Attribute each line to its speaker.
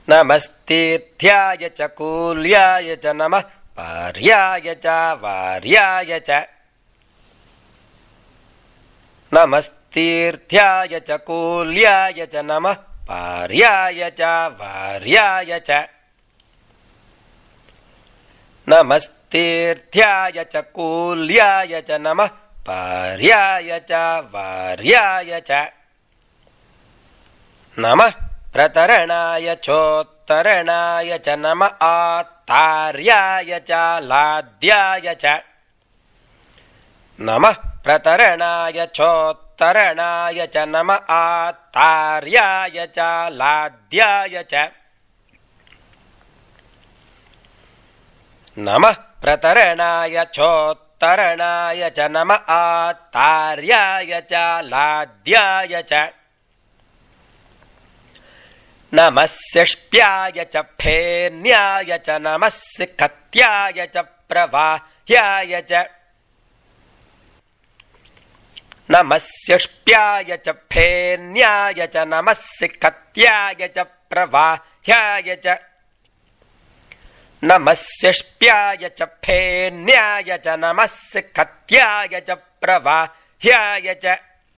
Speaker 1: नमस्तीर्थ्याय च कूल्याय च नमः पार्याय च वार्याय च नमस्तीर्थ्याय च कूल्याय च नमः पार्याय च वार्याय च नमस्तीर्थ्याय च कूल्याय च नमः पार्याय च वार्याय च नमः प्रतरणाय चोत्तरणाय च नमः आत्तार्याय च लाद्याय च नमः प्रतरणाय चोत्तरणाय च नमः आत्तार्याय च लाद्याय च नमः प्रतरणाय चोत्तरणाय च नमः आत्तार्याय च लाद्याय च नमः शिष्प्याय च फेन्याय च नमः सिखत्याय च प्रवाह्याय च नमः शिष्प्याय च फेन्याय च नमः सिखत्याय च प्रवाह्याय च नमः शिष्प्याय च फेन्याय च नमः सिखत्याय च प्रवाह्याय च